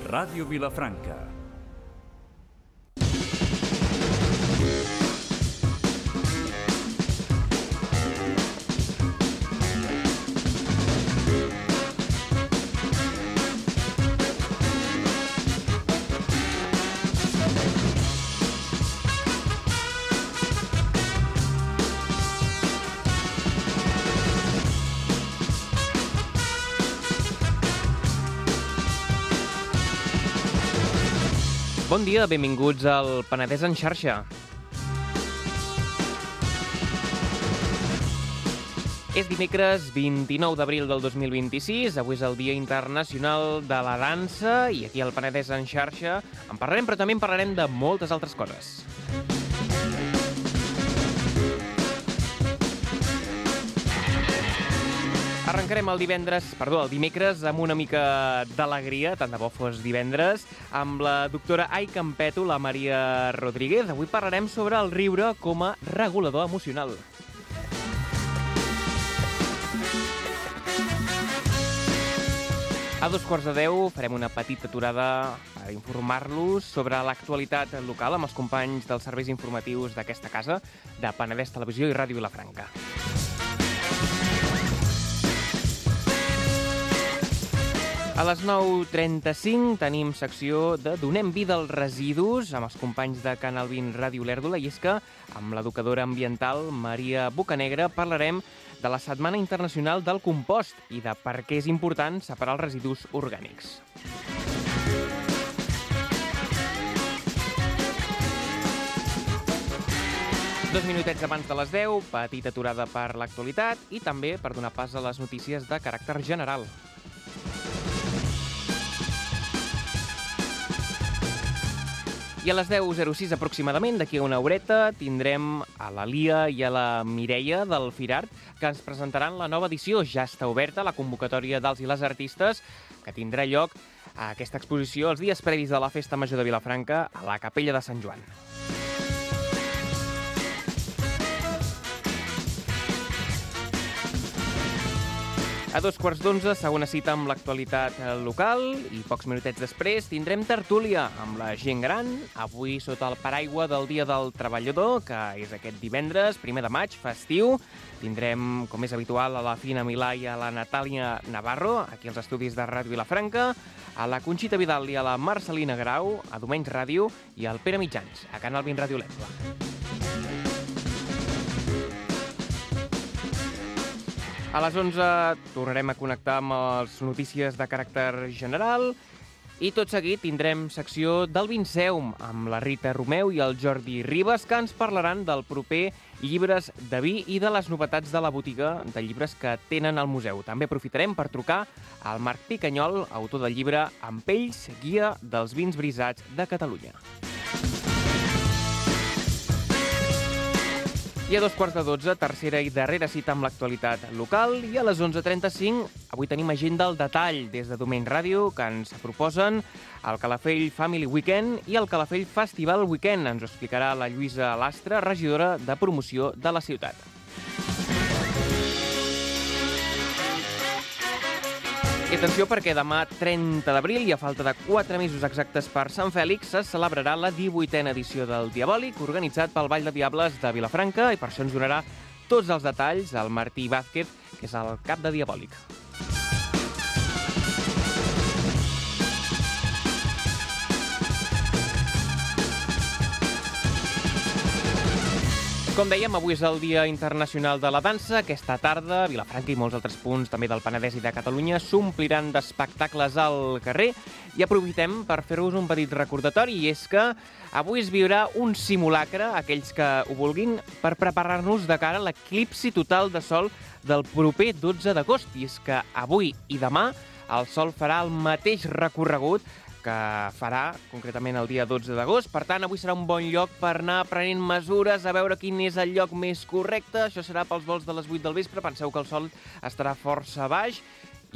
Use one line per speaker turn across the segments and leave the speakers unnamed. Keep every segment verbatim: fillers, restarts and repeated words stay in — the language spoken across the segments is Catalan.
Ràdio Vilafranca.
Bon dia, benvinguts al Penedès en xarxa. És dimecres vint-i-nou d'abril del dos mil vint-i-sis, avui és el Dia Internacional de la Dansa i aquí al Penedès en xarxa en parlarem, però també en parlarem de moltes altres coses. Arrencarem el divendres, perdó, el dimecres amb una mica d'alegria, tant de bo fos divendres, amb la doctora Ai Campeto, la Maria Rodríguez. Avui parlarem sobre el riure com a regulador emocional. A dos quarts de deu farem una petita aturada per informar-los sobre l'actualitat local amb els companys dels serveis informatius d'aquesta casa, de Penedès Televisió i Ràdio Vilafranca. A les nou trenta-cinc tenim secció de Donem vida als residus amb els companys de Canal vint Ràdio Olèrdola, i és que amb l'educadora ambiental Maria Bocanegra parlarem de la Setmana Internacional del Compost i de per què és important separar els residus orgànics. Dos minutets abans de les deu, petita aturada per l'actualitat i també per donar pas a les notícies de caràcter general. I a les deu zero sis aproximadament, d'aquí a una horeta, tindrem a la Lia i a la Mireia del Firart, que ens presentaran la nova edició. Ja està oberta la convocatòria dels i les artistes, que tindrà lloc a aquesta exposició els dies previs de la Festa Major de Vilafranca a la Capella de Sant Joan. A dos quarts d'onze, segona cita amb l'actualitat local i pocs minutets després tindrem tertúlia amb la gent gran, avui sota el paraigua del Dia del Treballador, que és aquest divendres, primer de maig, festiu. Tindrem, com és habitual, a la Fina Milà i a la Natàlia Navarro, aquí als estudis de Ràdio Vilafranca, a la Conxita Vidal i a la Marcelina Grau, a Domenys Ràdio i al Pere Mitjans, a Canal vint Ràdio Olèrdola. A les onze tornarem a connectar amb les notícies de caràcter general i tot seguit tindrem secció del Vinceum amb la Rita Romeu i el Jordi Ribas, que ens parlaran del proper Llibres de Vi i de les novetats de la botiga de llibres que tenen al museu. També aprofitarem per trucar al Marc Picanyol, autor del llibre Amb pells, guia dels vins brisats de Catalunya. I a dos quarts de dotze, tercera i darrera cita amb l'actualitat local. I a les onze trenta-cinc, avui tenim agenda al detall des de Domenys Ràdio, que ens proposen el Calafell Family Weekend i el Calafell Festival Weekend. Ens ho explicarà la Lluïsa Lastra, regidora de promoció de la ciutat. I atenció perquè demà, trenta d'abril, i a falta de quatre mesos exactes per Sant Fèlix, se celebrarà la divuitena edició del Diabòlic, organitzat pel Ball de Diables de Vilafranca, i per això ens donarà tots els detalls el Martí Vázquez, que és el cap de Diabòlic. Com dèiem, avui és el Dia Internacional de la Dansa. Aquesta tarda, Vilafranca i molts altres punts també del Penedès i de Catalunya s'ompliran d'espectacles al carrer. I aprofitem per fer-vos un petit recordatori, i és que avui es viurà un simulacre, aquells que ho vulguin, per preparar-nos de cara a l'eclipsi total de sol del proper dotze d'agost. I és que avui i demà el sol farà el mateix recorregut que farà concretament el dia dotze d'agost. Per tant, avui serà un bon lloc per anar prenent mesures, a veure quin és el lloc més correcte. Això serà pels vols de les vuit del vespre. Penseu que el sol estarà força baix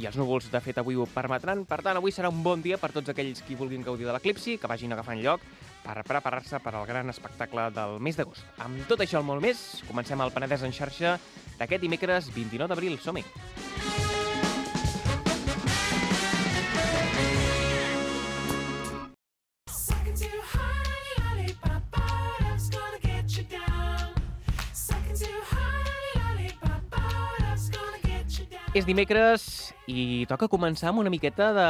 i els núvols, de fet, avui ho permetran. Per tant, avui serà un bon dia per tots aquells qui vulguin gaudir de l'eclipsi, que vagin agafant lloc per preparar-se per al gran espectacle del mes d'agost. Amb tot això i molt més, comencem el Penedès en xarxa d'aquest dimecres vint-i-nou d'abril. Som-hi! És dimecres i toca començar amb una miqueta de,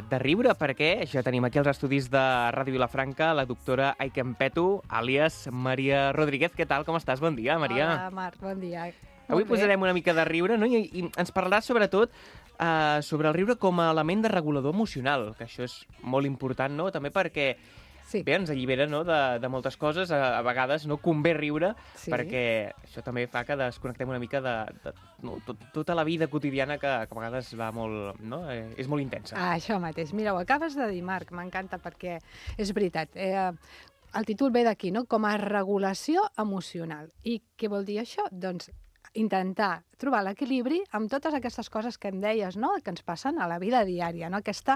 de riure, perquè ja tenim aquí als estudis de Ràdio Vilafranca la doctora Aiken Petu, àlies Maria Rodríguez. Què tal? Com estàs? Bon dia, Maria.
Hola, Marc, bon dia.
Avui posarem una mica de riure, no? I, i ens parlaràs sobretot uh, sobre el riure com a element de regulador emocional, que això és molt important, no? També perquè
Sí.
bé, ens allibera, no?, de, de moltes coses. A, a vegades no convé riure,
Sí.
perquè això també fa que desconnectem una mica de, de no, tot, tota la vida quotidiana que, que a vegades va molt, no? Eh, és molt intensa.
Ah, això mateix. Mira, ho acabes de dir, Marc, m'encanta perquè és veritat. Eh, el títol ve d'aquí, no? Com a regulació emocional. I què vol dir això? Doncs intentar trobar l'equilibri amb totes aquestes coses que em deies, no?, que ens passen a la vida diària, no?, aquesta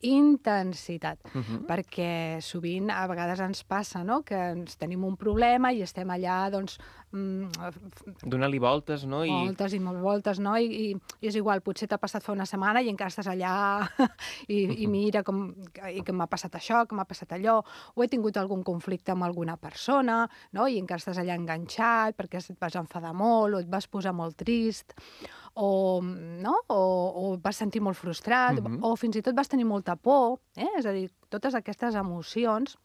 intensitat.
Uh-huh.
Perquè sovint a vegades ens passa, no?, que ens tenim un problema i estem allà, doncs, mm,
Donar-li voltes, no? I...
voltes i molt voltes, no? I, i, i és igual, potser t'ha passat fa una setmana i encara estàs allà i, i mira com, i que m'ha passat això, que m'ha passat allò, o he tingut algun conflicte amb alguna persona, no? I encara estàs allà enganxat perquè et vas enfadar molt o et vas posar molt trist, o, no? o, o vas sentir molt frustrat,
Mhm.
o fins i tot vas tenir molta por, eh? És a dir, totes aquestes emocions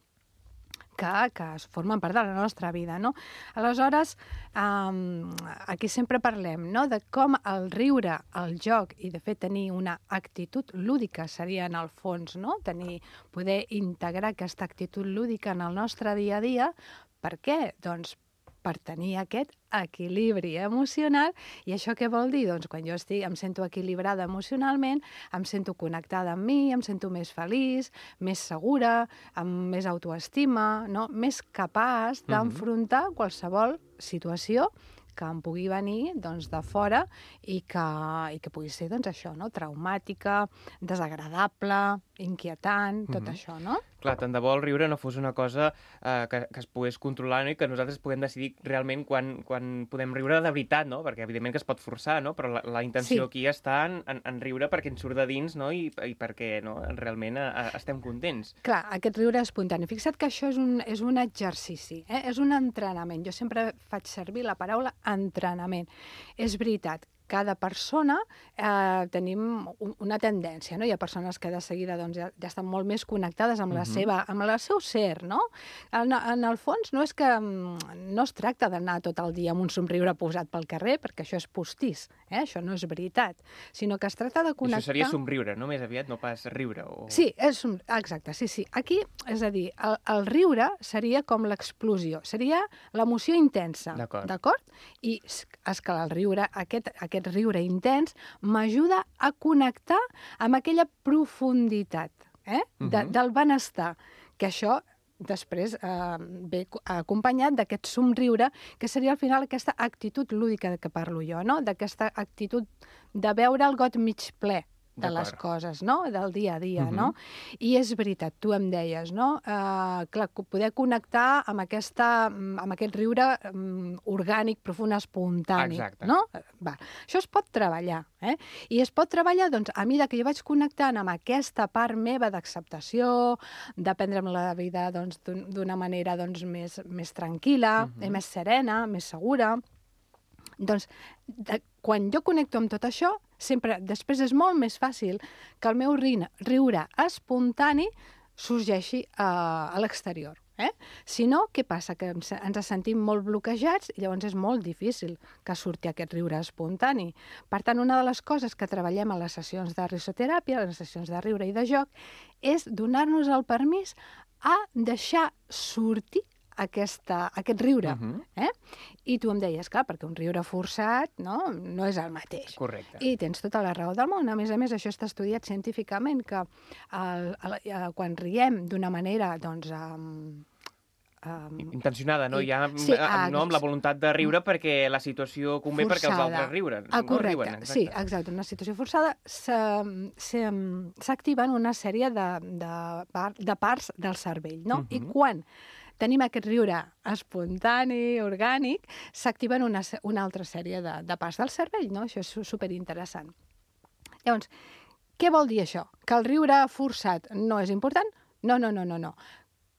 que, que es formen part de la nostra vida, no? Aleshores, um, aquí sempre parlem, no?, de com el riure, el joc i, de fet, tenir una actitud lúdica seria, en el fons, no?, tenir, poder integrar aquesta actitud lúdica en el nostre dia a dia. Per què? Doncs per tenir aquest equilibri emocional. I això què vol dir? Doncs quan jo estic, em sento equilibrada emocionalment, em sento connectada amb mi, em sento més feliç, més segura, amb més autoestima, no? Més capaç d'enfrontar qualsevol situació que em pugui venir, doncs, de fora i que, i que pugui ser, doncs, això, no?, traumàtica, desagradable, inquietant, tot
Mhm.
això, no?
Clar, tant de bo el riure no fos una cosa eh, que, que es pogués controlar, no? I que nosaltres puguem decidir realment quan, quan podem riure de veritat, no? Perquè evidentment que es pot forçar, no? Però la, la intenció
Sí.
aquí està en, en, en riure perquè ens surt de dins, no? I, i perquè no? realment eh, estem contents.
Clar, aquest riure espontani. Fixa't que això és un, és un exercici, eh? És un entrenament. Jo sempre faig servir la paraula entrenament. És veritat, cada persona eh, tenim un, una tendència, no? Hi ha persones que de seguida doncs, ja, ja estan molt més connectades amb la
Mhm.
seva, amb el seu ser, no? En, en el fons no és que mm, no es tracta d'anar tot el dia amb un somriure posat pel carrer, perquè això és postís, eh? Això no és veritat, sinó que es tracta de
I
connectar...
això seria somriure, no? Més aviat, no pas riure. O...
Sí, és un... exacte, sí, sí. Aquí, és a dir, el, el riure seria com l'explosió, seria l'emoció intensa,
D'acord.
d'acord? I és és que el riure, aquest, aquest riure intens, m'ajuda a connectar amb aquella profunditat, eh? de,
Mhm.
del benestar, que això després eh, ve co- acompanyat d'aquest somriure, que seria al final aquesta actitud lúdica de què parlo jo, no? D'aquesta actitud de veure el got mig ple de les
D'acord.
coses, no?, del dia a dia,
Mhm.
no? I és veritat, tu em deies, no?, uh, clar, co- poder connectar amb, aquesta, mm, amb aquest riure um, orgànic, profund, espontani,
Exacte.
no? Va. Això es pot treballar, eh? I es pot treballar, doncs, a mesura que jo vaig connectant amb aquesta part meva d'acceptació, de prendre'm la vida, doncs, d'un- d'una manera, doncs, més, més tranquil·la,
Mhm.
eh, més serena, més segura. Doncs, de, quan jo connecto amb tot això, sempre, després és molt més fàcil que el meu riure, riure espontani sorgeixi a, a l'exterior. Eh? Si no, què passa? Que ens, ens sentim molt bloquejats i llavors és molt difícil que surti aquest riure espontani. Per tant, una de les coses que treballem a les sessions de risoteràpia, a les sessions de riure i de joc, és donar-nos el permís a deixar sortir aquesta, aquest riure.
Mhm.
eh? I tu em deies, clar, perquè un riure forçat no, no és el mateix.
Correcte.
I tens tota la raó del món. A més a més, això està estudiat científicament, que el, el, el, quan riem d'una manera, doncs, um, um,
Intencionada, no?
I-
Ja
sí,
eh,
ah,
no amb la voluntat de riure perquè la situació convé perquè els
forçada.
altres riuen.
Ah,
no?
correcte,
Riuen,
sí, exacte. En una situació forçada se- se- s'activen una sèrie de, de, par- de parts del cervell, no? I
Mhm.
quan tenim aquest riure espontani, orgànic, s'activen una, se- una altra sèrie de, de parts del cervell, no? Això és su- superinteressant. Llavors, què vol dir això? Que el riure forçat no és important? No, no, no, no, no.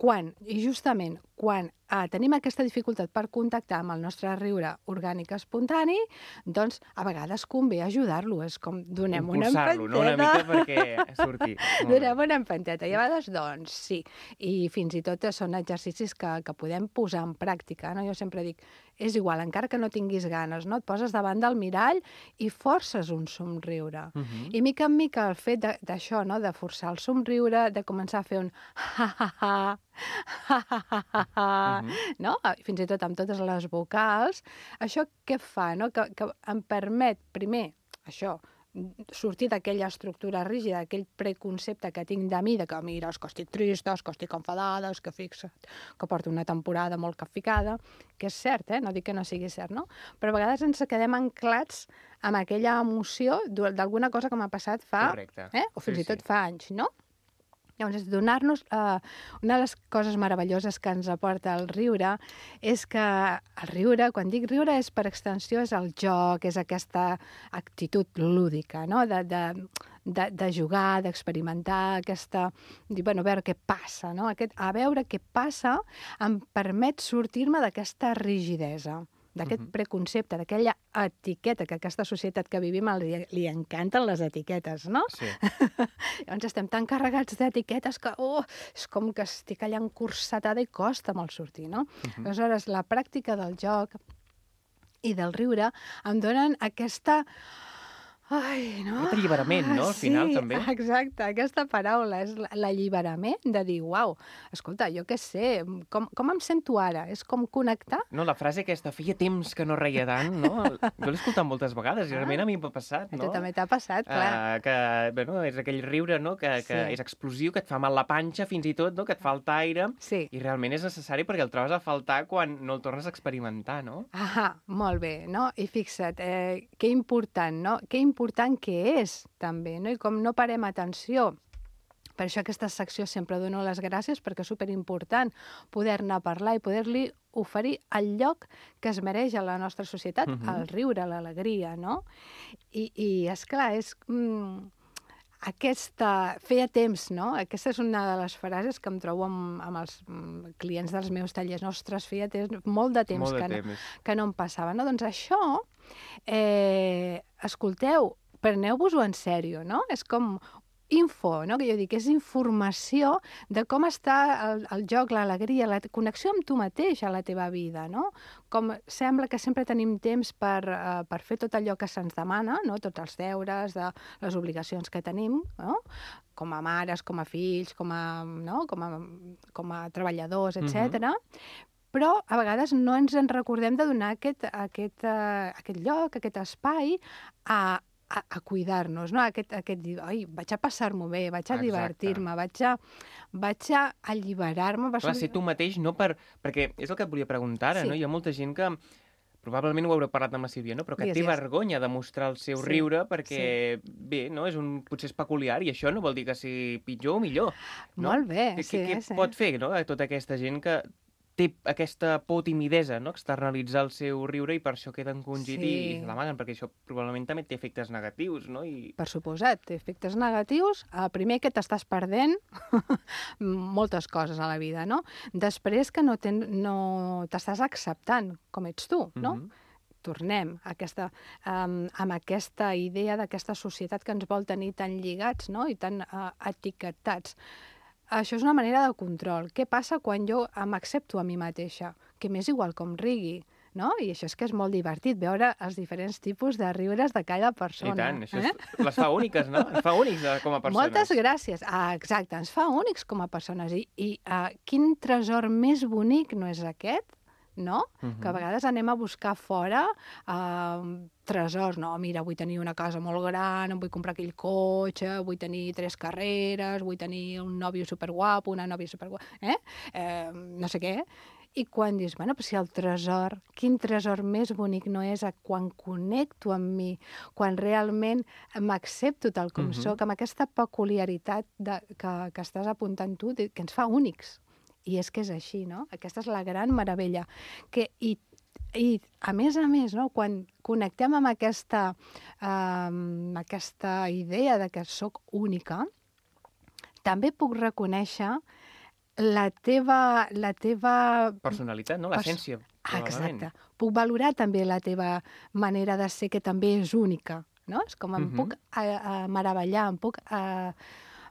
Quan, i justament, quan eh, tenim aquesta dificultat per contactar amb el nostre riure orgànic espontani, doncs a vegades convé ajudar-lo. És com donem una empenteta.
Impulsar-lo, no? Una mica perquè surti.
Donem una empenteta. I a vegades, doncs, sí. I fins i tot són exercicis que, que podem posar en pràctica. No? Jo sempre dic, és igual, encara que no tinguis ganes, no? Et poses davant del mirall i forces un somriure. Uh -huh. I mica en mica el fet d'això, no? De forçar el somriure, de començar a fer un ha-ha-ha, ha-ha-ha, no? Fins i tot amb totes les vocals. Això què fa? No? Que, que em permet, primer, això, sortir d'aquella estructura rígida, d'aquell preconcepte que tinc de mi, de que, mira, és que estic trista, és que estic enfadada, és que fixa't, que porto una temporada molt capficada, que és cert, eh? No dic que no sigui cert, no? Però a vegades ens quedem anclats amb aquella emoció d'alguna cosa que m'ha passat fa...
Correcte.
Eh? O fins
sí,
i tot
sí.
fa anys, no? Llavors, donar-nos... Eh, una de les coses meravelloses que ens aporta el riure és que el riure, quan dic riure, és per extensió, és el joc, és aquesta actitud lúdica, no? De, de, de, de jugar, d'experimentar, aquesta... Dir, bueno, a veure què passa, no? Aquest, a veure què passa em permet sortir-me d'aquesta rigidesa, d'aquest uh-huh. preconcepte, d'aquella etiqueta, que a aquesta societat que vivim li, li encanten les etiquetes, no?
Sí.
Llavors estem tan carregats d'etiquetes que oh, és com que estic allà encursetada i costa molt sortir, no? Uh-huh. Aleshores, la pràctica del joc i del riure em donen aquesta... Ai, no?
Aquest alliberament, no? Al
sí,
final, també.
Exacte, aquesta paraula és l'alliberament de dir, uau, escolta, jo què sé, com, com em sento ara? És com connectar?
No, la frase aquesta, feia temps que no reia tant, no? Jo l'he escoltat moltes vegades i realment a mi m'ha passat, no?
A tu també t'ha passat, clar.
Uh, que, bueno, és aquell riure, no?, que, que
Sí.
és explosiu, que et fa mal la panxa fins i tot, no?, que et falta aire,
Sí.
i realment és necessari perquè el trobes a faltar quan no el tornes a experimentar, no?
Ah, molt bé, no? I fixa't, eh, que important, no? Que important que és, també, no? I com no parem atenció. Per això aquesta secció sempre dono les gràcies, perquè és superimportant poder-ne parlar i poder-li oferir el lloc que es mereix a la nostra societat,
Mhm.
el riure, l'alegria, no? I, i esclar, és... Mm, aquesta... Feia temps, no? Aquesta és una de les frases que em trobo amb, amb els mm, clients dels meus tallers. Ostres, feia temps, molt de temps,
Molt de
que, no,
temps.
que no em passava. No? Doncs això, eh, escolteu, preneu-vos-ho en sèrio, no? És com info, no? Que jo dic, és informació de com està el, el joc, l'alegria, la connexió amb tu mateix a la teva vida, no? Com sembla que sempre tenim temps per, uh, per fer tot allò que se'ns demana, no? Tots els deures, de les obligacions que tenim, no? Com a mares, com a fills, com a, no? com a, com a treballadors, etcètera. Mm-hmm. Però a vegades no ens en recordem de donar aquest, aquest, uh, aquest lloc, aquest espai a a, a cuidar-nos, no? Aquest, aquest dir, ai, vaig a passar-m'ho bé, vaig a
Exacte.
divertir-me, vaig a, vaig a alliberar-me.
Clar, ser tu mateix, no per... Perquè és el que et volia preguntar ara,
Sí.
no? Hi ha molta gent que probablement ho haureu parlat amb la Sílvia, no? Però que
Digues,
té
digues.
vergonya de mostrar el seu
Sí,
riure perquè, bé, no? És un, potser és peculiar i això no vol dir que sigui pitjor o millor. No?
Molt bé,
Què,
sí.
què
sí.
pot fer, no? Tota aquesta gent que té aquesta por timidesa, no? Externalitzar el seu riure i per això queda encongit
Sí.
i l'amaguen, perquè això probablement també té efectes negatius, no? I...
Per suposat, té efectes negatius. El primer, que t'estàs perdent moltes coses a la vida, no? Després, que no ten, no t'estàs acceptant com ets tu, no?
Mhm.
Tornem a aquesta, um, amb aquesta idea d'aquesta societat que ens vol tenir tan lligats, no? I tan uh, etiquetats. Això és una manera de control. Què passa quan jo m'accepto a mi mateixa? Que m'és igual com rigui, no? I això és que és molt divertit, veure els diferents tipus de riures de cada persona.
I tant, això
eh?
és, les fa úniques, no? Ens fa únics eh, com a persones.
Moltes gràcies. Ah, exacte, ens fa únics com a persones. I, i uh, quin tresor més bonic no és aquest? No? Uh-huh. Que a vegades anem a buscar fora uh, tresors, no? Mira, vull tenir una casa molt gran, em vull comprar aquell cotxe, vull tenir tres carreres, vull tenir un nòvio superguapo, una nòvia superguapa, eh? eh? No sé què. I quan dius, bueno, però si el tresor, quin tresor més bonic no és a quan connecto amb mi, quan realment m'accepto tal com uh-huh. soc, amb aquesta peculiaritat de, que, que estàs apuntant tu, que ens fa únics. I és que és així, no? Aquesta és la gran meravella. Que, i, I, a més a més, no? Quan connectem amb aquesta, um, aquesta idea de que sóc única, també puc reconèixer la teva... La teva...
Personalitat, no? L'essència,
Ah,
probablement.
exacte. Puc valorar també la teva manera de ser, que també és única, no? És com em
Mhm.
puc a, a meravellar, em puc a,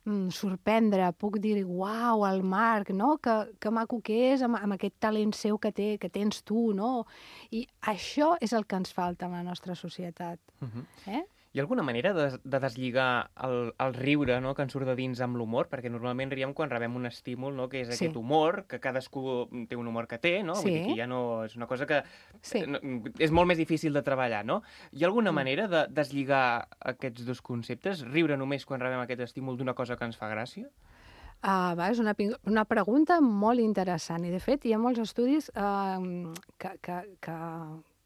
mm, sorprendre, puc dir, uau, el Marc, no? Que, que maco que és, amb, amb aquest talent seu que, té, que tens tu, no? I això és el que ens falta en la nostra societat.
Mhm.
Eh?
Hi ha alguna manera de, de deslligar el, el riure, no?, que ens surt de dins amb l'humor? Perquè normalment riem quan rebem un estímul, no?, que és
Sí.
aquest humor, que cadascú té un humor que té, no? Vull
Sí.
dir que ja no... És una cosa que
Sí.
no, és molt més difícil de treballar, no? Hi ha alguna
Mm.
manera de deslligar aquests dos conceptes? Riure només quan rebem aquest estímul d'una cosa que ens fa gràcia?
Ah, va, és una, pi- una pregunta molt interessant i, de fet, hi ha molts estudis eh, que, que, que,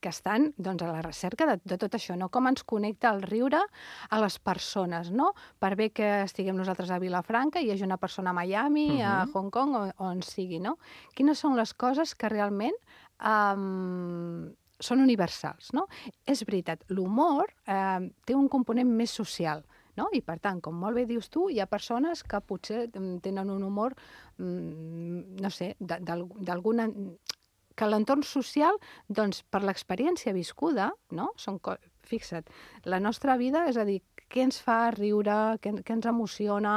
que estan doncs, a la recerca de, de tot això, no? Com ens connecta el riure a les persones, no? Per bé que estiguem nosaltres a Vilafranca i hi hagi una persona a Miami, a
Mhm.
Hong Kong, o on sigui, no? Quines són les coses que realment um, són universals, no? És veritat, l'humor eh, té un component més social, no? I, per tant, com molt bé dius tu, hi ha persones que potser mm, tenen un humor, mm, no sé, de- d'al- d'alguna... que l'entorn social, doncs, per l'experiència viscuda, no? Són co... Fixa't, la nostra vida, és a dir, què ens fa riure, què, què ens emociona,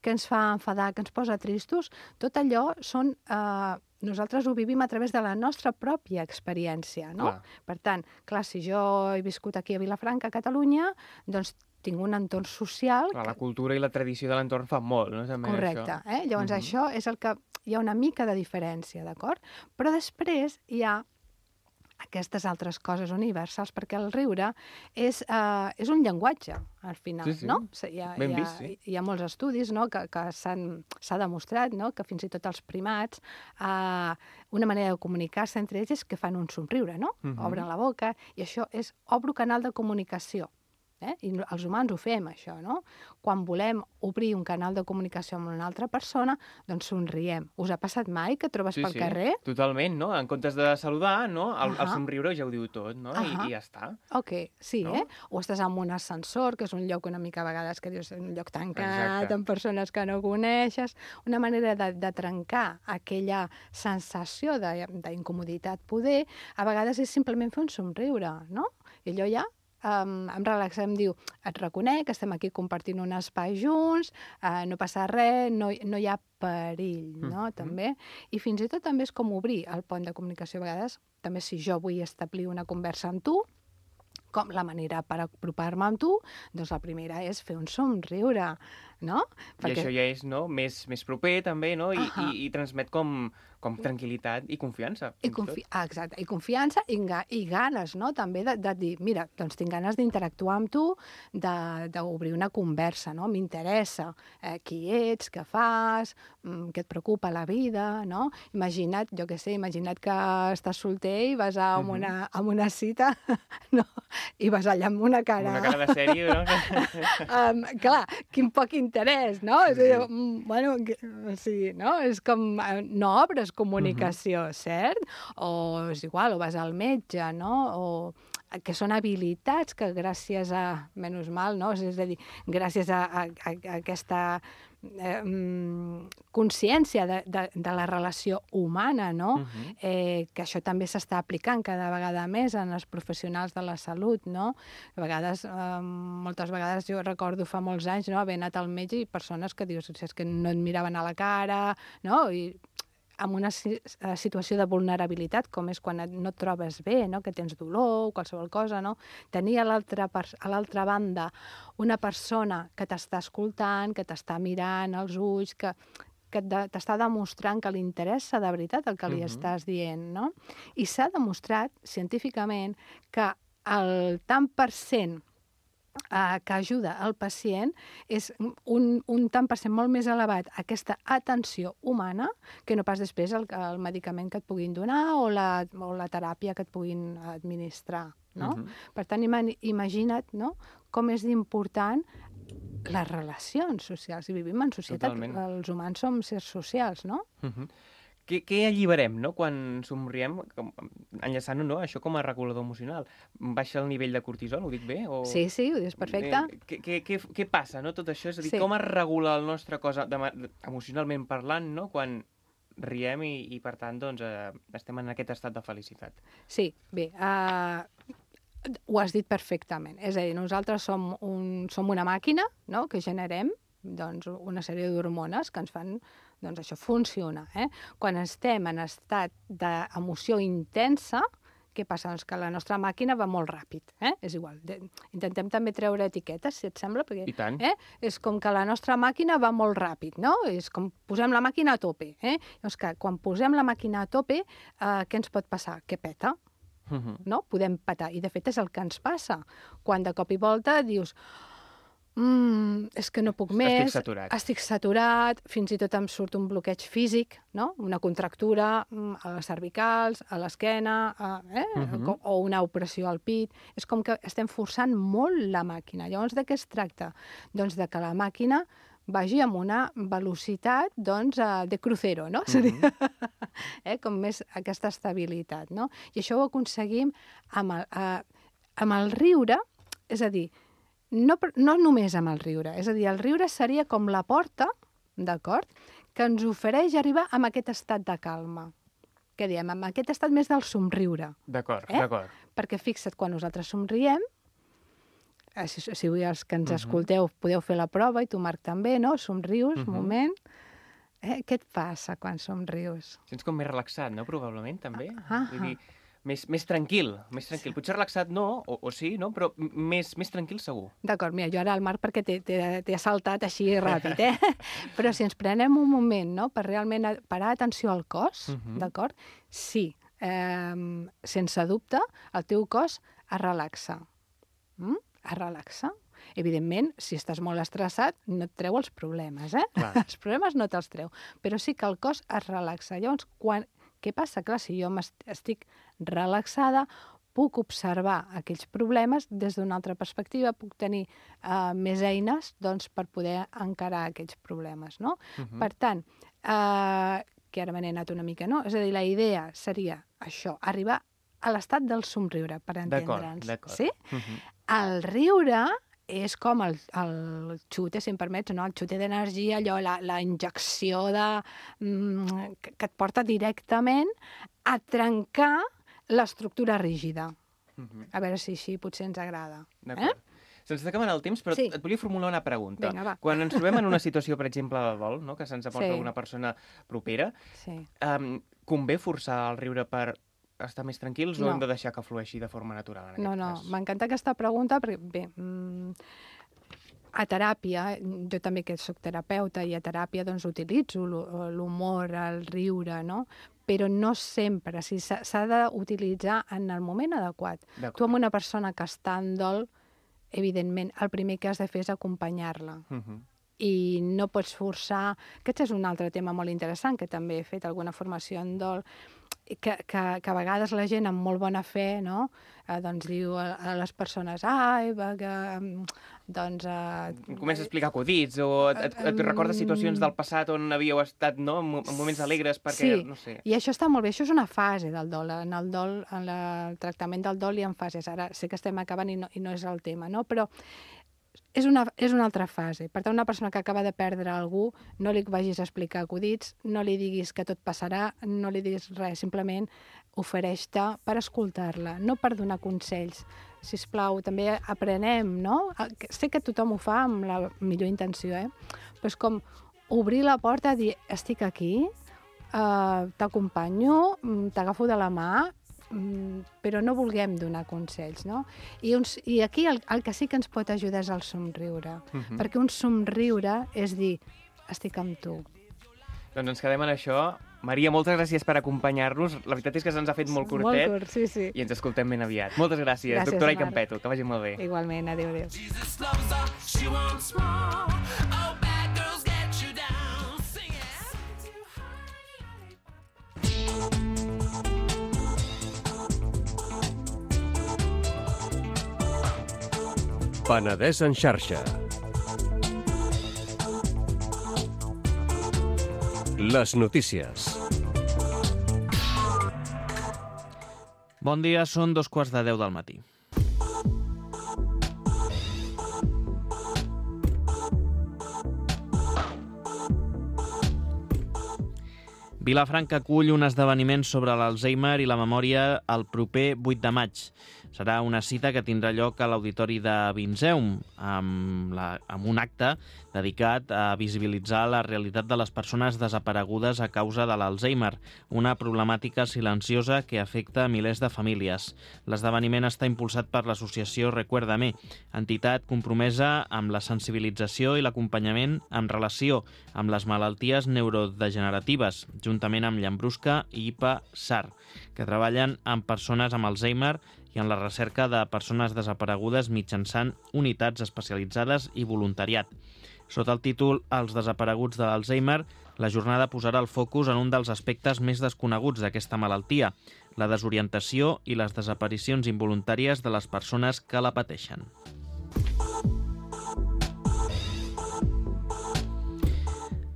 què ens fa enfadar, què ens posa tristos, tot allò són... Eh, nosaltres ho vivim a través de la nostra pròpia experiència, no?
Clar.
Per tant, clar, si jo he viscut aquí a Vilafranca, a Catalunya, doncs tinc un entorn social...
Clar, la cultura i la tradició de l'entorn fan molt, no? També
Correcte,
això.
eh? Llavors
Mhm.
això és el que... Hi ha una mica de diferència, d'acord? Però després hi ha aquestes altres coses universals, perquè el riure és, eh, és un llenguatge, al final,
Sí, sí.
no? Hi ha,
Ben
hi ha,
vist, sí.
hi ha molts estudis, no?, que, que s'han- s'ha demostrat, no?, que fins i tot els primats, eh, una manera de comunicar-se entre ells és que fan un somriure, no?
Mhm.
Obren la boca, i això és obro canal de comunicació. Eh? I no- els humans ho fem, això, no? Quan volem obrir un canal de comunicació amb una altra persona, doncs somriem. Us ha passat mai que et trobes
Sí,
pel
sí,
carrer?
totalment, no? En comptes de saludar, no? El, el
Ahà.
somriure ja ho diu tot, no? I,
Ahà.
I ja està.
Ok, sí,
No?
eh? O estàs en un ascensor, que és un lloc una mica a vegades que dius un lloc tancat,
Exacte.
amb persones que no coneixes. Una manera de, de trencar aquella sensació de- d'incomoditat poder, a vegades és simplement fer un somriure, no? I allò ja um, em relaxa, em diu, et reconec, estem aquí compartint un espai junts, uh, no passa res, no, no hi ha perill, no?
Mhm.
També. I fins i tot també és com obrir el pont de comunicació a vegades, també si jo vull establir una conversa amb tu, com la manera per apropar-me amb tu, doncs la primera és fer un somriure, no?
I això ja és, no?, més, més proper, també, no? I,
Ahà.
i, i transmet com, com tranquil·litat i confiança.
I,
fins i
confi
tot.
ah, exacte, i confiança i, ga i ganes, no? També de, de dir, mira, doncs tinc ganes d'interactuar amb tu, d'obrir una conversa, no? M'interessa eh, qui ets, què fas, mm, què et preocupa la vida, no? Imagina't, jo què sé, imagina't que estàs solter i vas a
Mhm.
una, a una cita, no? I vas allà amb una
Amb
cara...
una cara de sèrie, no?
um, clar, quin poc interès, no?
Sí,
És a dir,
sí.
mm, bueno, que- o sigui, no? És com, eh, no obres comunicació, cert? O és igual, o vas al metge, no? O que són habilitats que gràcies a, menys mal, no? És a dir, gràcies a, a, a, a aquesta eh, mm, consciència de, de, de la relació humana, no?
Mhm.
eh, que això també s'està aplicant cada vegada més en els professionals de la salut, no? A vegades, eh, moltes vegades jo recordo fa molts anys, no?, haver anat al metge i persones que dius, és que no et miraven a la cara, no? I en una si- eh, situació de vulnerabilitat, com és quan et, no et trobes bé, no?, que tens dolor o qualsevol cosa, no? Tenir a l'altra pers- a l'altra banda una persona que t'està escoltant, que t'està mirant als ulls, que, que de- t'està demostrant que li interessa de veritat el que li
Mhm.
estàs dient, no? I s'ha demostrat científicament que el tant per cent eh, que ajuda el pacient és un, un tant per cent molt més elevat aquesta atenció humana que no pas després el, el medicament que et puguin donar o la, o la teràpia que et puguin administrar, no?
Mhm.
Per tant, ima imagina't, no?, com és important les relacions socials. I vivim en societat,
Totalment.
els humans som sers socials, no?
Mhm. Què, què alliberem, no?, quan somriem, com, enllaçant-ho, no?, això com a regulador emocional. Baixa el nivell de cortisol, ho dic bé? O...
Sí, sí, ho dius perfecte.
Eh, què, què, què, què passa, no?, tot això? És a dir,
Sí.
com es regula el nostre cos de, ma- emocionalment parlant, no?, quan riem i, i per tant, doncs, eh, estem en aquest estat de felicitat.
Sí, bé, uh, ho has dit perfectament. És a dir, nosaltres som, un, som una màquina, no?, que generem doncs, una sèrie d'hormones que ens fan doncs, això funciona. Eh? Quan estem en estat d'emoció intensa, què passa? Doncs que la nostra màquina va molt ràpid. Eh? És igual. De, intentem també treure etiquetes, si et sembla, perquè
I tant.
Eh? És com que la nostra màquina va molt ràpid, no? És com posem la màquina a tope. Eh? Llavors, que quan posem la màquina a tope, eh, què ens pot passar? Que peta.
Uh-huh.
No? Podem petar. I, de fet, és el que ens passa. Quan de cop i volta dius mm, és que no puc més,
estic saturat.
estic saturat, fins i tot em surt un bloqueig físic, no? Una contractura a les cervicals, a l'esquena, eh? uh-huh. o una opressió al pit. És com que estem forçant molt la màquina. Llavors, de què es tracta? Doncs de que la màquina vagi amb una velocitat doncs, de crucero, no? Uh-huh. eh? Com més aquesta estabilitat, no? I això ho aconseguim amb el, eh, amb el riure, és a dir, no, no només amb el riure, és a dir, el riure seria com la porta, d'acord?, que ens ofereix arribar a aquest estat de calma. Què diem? Amb aquest estat més del somriure.
D'acord,
eh?
d'acord.
Perquè fixa't, quan nosaltres somriem, si, si els que ens
uh-huh.
escolteu podeu fer la prova, i tu, Marc, també, no? Somrius, uh-huh. un moment. Eh? Què et passa quan somrius?
Sents com més relaxat, no? Probablement, també.
Ah,
Vull dir, més, més tranquil, més tranquil. Potser relaxat no, o, o sí, no? Però més, més tranquil segur.
D'acord, mira, jo ara el Marc perquè t'he saltat així ràpid, eh? Però si ens prenem un moment, no?, per realment parar atenció al cos, uh-huh. d'acord? Sí, eh, sense dubte, el teu cos es relaxa. Mm? Es relaxa. Evidentment, si estàs molt estressat, no et treu els problemes, eh?
Clar.
Els problemes no te'ls treu, però sí que el cos es relaxa. Llavors, quan... què passa? Clar, si jo estic relaxada, puc observar aquells problemes des d'una altra perspectiva, puc tenir uh, més eines doncs, per poder encarar aquells problemes, no? Uh-huh. Per tant, uh, que ara me n'he anat una mica, no? És a dir, la idea seria això, arribar a l'estat del somriure, per entendre'ns.
D'acord, d'acord.
Sí? Uh-huh. El riure és com el, el xute, si em permets, no? El xute d'energia, allò, la, la injecció de, mm, que, que et porta directament a trencar l'estructura rígida. Uh-huh. A veure si així potser ens agrada.
D'acord. Eh? Se'ns està acabant el temps, però sí. et volia formular una pregunta.
Vinga, va.
Quan ens trobem en una situació, per exemple, de dol, no? Que se'ns aporta
Sí.
alguna persona propera,
Sí.
um, convé forçar el riure per estar més tranquils
No.
o hem de deixar que flueixi de forma natural en aquest
No, no,
cas?
m'encanta aquesta pregunta perquè, bé, mm, a teràpia, jo també que soc terapeuta i a teràpia doncs utilitzo l'humor, el riure, no? Però no sempre, o sigui, s'ha d'utilitzar en el moment adequat. Tu amb una persona que està en dol, evidentment, el primer que has de fer és acompanyar-la. Uh-huh. I no pots forçar... Aquest és un altre tema molt interessant, que també he fet alguna formació en dol, que, que, que a vegades la gent amb molt bona fe, no?, eh, doncs diu a, a les persones, ai, va, que, doncs... Eh,
Comença a explicar acudits o et, et, et recorda situacions del passat on havíeu estat, no?, en moments alegres perquè,
sí,
no sé...
i això està molt bé, això és una fase del dol. En el dol, en la, el tractament del dol hi ha fases. Ara sé que estem acabant i no, i no és el tema, no?, però és una, és una altra fase. Per tant, una persona que acaba de perdre algú, no li vagis a explicar acudits, no li diguis que tot passarà, no li diguis res, simplement ofereix-te per escoltar-la, no per donar consells. Sisplau, també aprenem, no? Sé que tothom ho fa amb la millor intenció, eh? Però és com obrir la porta i dir, estic aquí, eh, t'acompanyo, t'agafo de la mà, però no vulguem donar consells, no? I, uns, i aquí el, el que sí que ens pot ajudar és el somriure, uh-huh. perquè un somriure és dir, estic amb tu.
Doncs ens quedem en això. Maria, moltes gràcies per acompanyar-nos. La veritat és que se'ns ha fet molt curtet.
Molt curt, sí, sí.
I ens escoltem ben aviat. Moltes gràcies,
gràcies
doctora Icampetto, que vagi molt bé.
Igualment, adéu, adéu.
Penedès en xarxa. Les notícies.
Bon dia, són dos quarts de deu del matí. Vilafranca acull un esdeveniment sobre l'Alzheimer i la memòria el proper vuit de maig. Serà una cita que tindrà lloc a l'Auditori de Vinzeum, amb, la, amb un acte dedicat a visibilitzar la realitat de les persones desaparegudes a causa de l'Alzheimer, una problemàtica silenciosa que afecta milers de famílies. L'esdeveniment està impulsat per l'associació Recuérdame, entitat compromesa amb la sensibilització i l'acompanyament en relació amb les malalties neurodegeneratives, juntament amb Llambrusca i I P A-S A R, que treballen amb persones amb Alzheimer i en la recerca de persones desaparegudes mitjançant unitats especialitzades i voluntariat. Sota el títol Els desapareguts de l'Alzheimer, la jornada posarà el focus en un dels aspectes més desconeguts d'aquesta malaltia, la desorientació i les desaparicions involuntàries de les persones que la pateixen.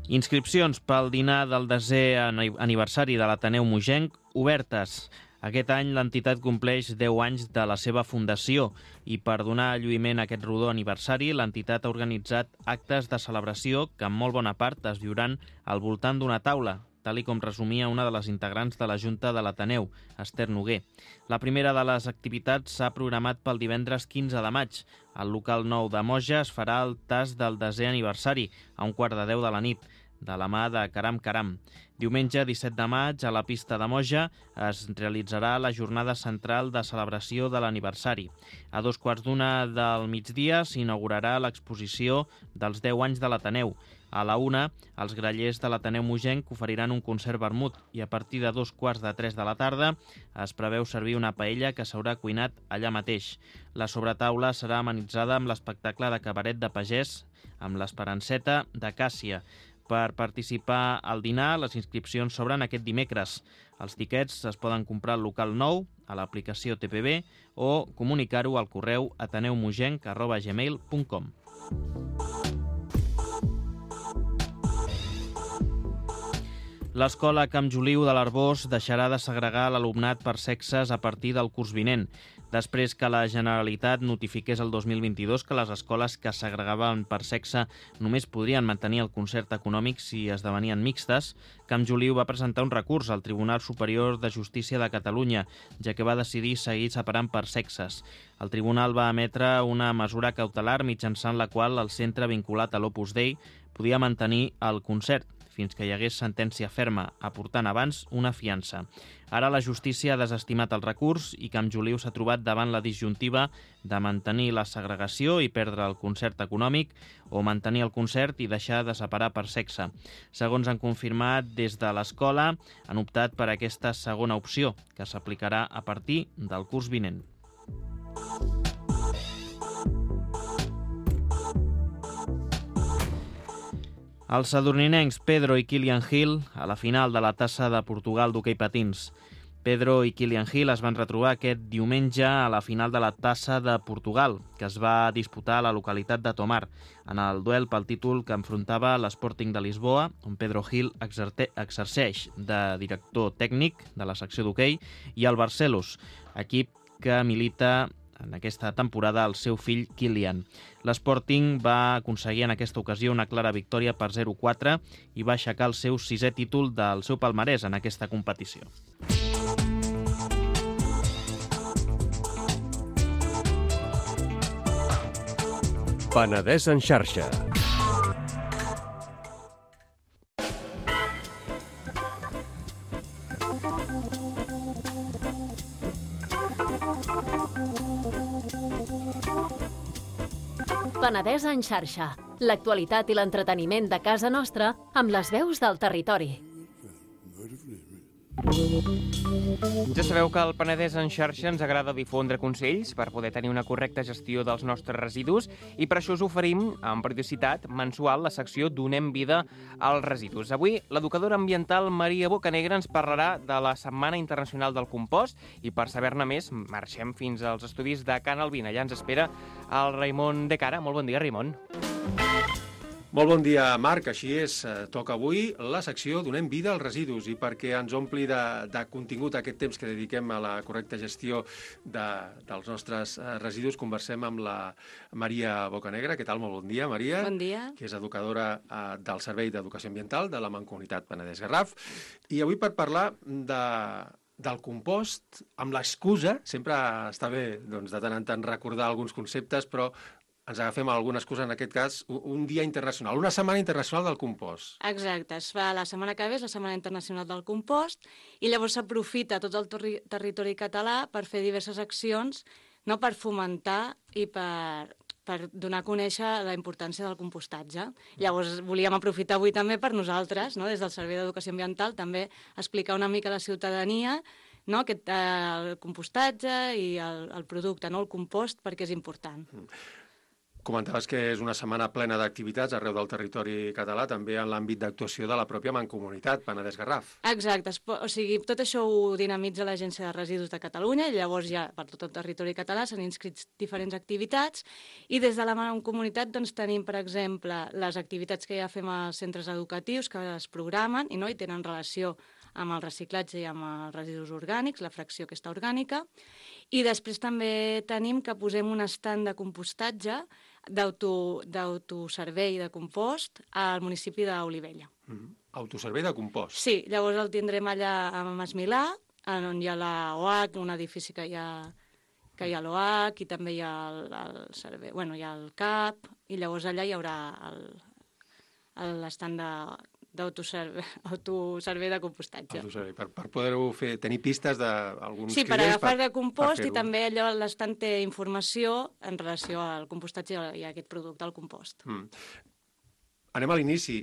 Inscripcions pel dinar del desè aniversari de l'Ateneu Mogenc obertes. Aquest any l'entitat compleix deu anys de la seva fundació i per donar lluïment a aquest rodó aniversari l'entitat ha organitzat actes de celebració que en molt bona part es viuran al voltant d'una taula, tal i com resumia una de les integrants de la Junta de l'Ateneu, Esther Noguer. La primera de les activitats s'ha programat pel divendres quinze de maig. Al local nou de Moja es farà el tast del desè aniversari, a un quart de deu de la nit, de la mà de Caram Caram. Diumenge disset de maig, a la pista de Moja, es realitzarà la jornada central de celebració de l'aniversari. A dos quarts d'una del migdia s'inaugurarà l'exposició dels deu anys de l'Ateneu. A la una, els grallers de l'Ateneu Mogenc oferiran un concert vermut i a partir de dos quarts de tres de la tarda es preveu servir una paella que s'haurà cuinat allà mateix. La sobretaula serà amenitzada amb l'espectacle de cabaret de pagès amb l'Esperanceta de Càssia. Per participar al dinar, les inscripcions s'obren aquest dimecres. Els tiquets es poden comprar al local nou, a l'aplicació T P B o comunicar-ho al correu ateneumogenc arroba gmail punt com. L'escola Camp Joliu de l'Arboç deixarà de segregar l'alumnat per sexes a partir del curs vinent. Després que la Generalitat notifiqués el dos mil vint-i-dos que les escoles que segregaven per sexe només podrien mantenir el concert econòmic si esdevenien mixtes, Camp Joliu va presentar un recurs al Tribunal Superior de Justícia de Catalunya, ja que va decidir seguir separant per sexes. El tribunal va emetre una mesura cautelar mitjançant la qual el centre vinculat a l'Opus Dei podia mantenir el concert, fins que hi hagués sentència ferma, aportant abans una fiança. Ara la justícia ha desestimat el recurs i Camp Joliu s'ha trobat davant la disjuntiva de mantenir la segregació i perdre el concert econòmic o mantenir el concert i deixar de separar per sexe. Segons han confirmat des de l'escola, han optat per aquesta segona opció, que s'aplicarà a partir del curs vinent. Els sadurninencs Pedro i Kilian Hill a la final de la Tassa de Portugal d'hoquei patins. Pedro i Kilian Hill es van retrobar aquest diumenge a la final de la Tassa de Portugal, que es va disputar a la localitat de Tomar, en el duel pel títol que enfrontava l'Sporting de Lisboa, on Pedro Hill exerceix de director tècnic de la secció d'hoquei, i el Barcelos, equip que milita en aquesta temporada el seu fill Kilian. L'Sporting va aconseguir en aquesta ocasió una clara victòria per zero quatre i va aixecar el seu sisè títol del seu palmarès en aquesta competició.
Penedès en xarxa.
Penedès en xarxa. L'actualitat i l'entreteniment de casa nostra amb les veus del territori.
Ja sabeu que al Penedès en xarxa ens agrada difondre consells per poder tenir una correcta gestió dels nostres residus i per això us oferim, amb periodicitat mensual, la secció Donem vida als residus. Avui, l'educadora ambiental Maria Bocanegra ens parlarà de la Setmana Internacional del Compost i per saber-ne més marxem fins als estudis de Can Albin. Allà ens espera el Raimon de Cara. Molt bon dia, Raimon.
Molt bon dia, Marc. Així és, toca avui la secció Donem vida als residus, i perquè ens ompli de, de contingut aquest temps que dediquem a la correcta gestió de, dels nostres residus, conversem amb la Maria Bocanegra. Què tal? Molt bon dia, Maria.
Bon dia.
Que és educadora eh, del Servei d'Educació Ambiental de la Mancomunitat Penedès-Garraf. I avui per parlar de... del compost, amb l'excusa, sempre està bé doncs, de tant en tant recordar alguns conceptes, però ens agafem alguna excusa, en aquest cas, un dia internacional, una setmana internacional del compost.
Exacte, es fa la setmana que ve, és la Setmana Internacional del Compost, i llavors s'aprofita tot el terri territori català per fer diverses accions, no, per fomentar i per, per donar a conèixer la importància del compostatge. Llavors volíem aprofitar avui també per nosaltres, no, des del Servei d'Educació Ambiental, també explicar una mica a la ciutadania, no, aquest, eh, el compostatge i el, el producte, no, el compost, perquè és important.
Mm. Comentaves que és una setmana plena d'activitats arreu del territori català, també en l'àmbit d'actuació de la pròpia Mancomunitat Penedès-Garraf.
Exacte, o sigui, tot això ho dinamitza l'Agència de Residus de Catalunya, i llavors ja per tot el territori català s'han inscrit diferents activitats, i des de la Mancomunitat doncs, tenim, per exemple, les activitats que ja fem als centres educatius que es programen i, no, i tenen relació amb el reciclatge i amb els residus orgànics, la fracció aquesta orgànica, i després també tenim que posem un estand de compostatge d'autoservei de compost al municipi d'Olivella.
Mm-hmm. Autoservei de compost?
Sí, llavors el tindrem allà a Mas Milà, on hi ha la O H, un edifici que hi ha, que hi ha l'O H, i també hi ha el, el servei, bueno, hi ha el C A P, i llavors allà hi haurà l'estant de d'autoservei de compostatge.
Autoservei, per, per poder-ho fer, tenir pistes d'alguns
sí, per agafar de compost, i també allò l'estant té informació en relació al compostatge i a aquest producte, al compost.
Mm. Anem a l'inici.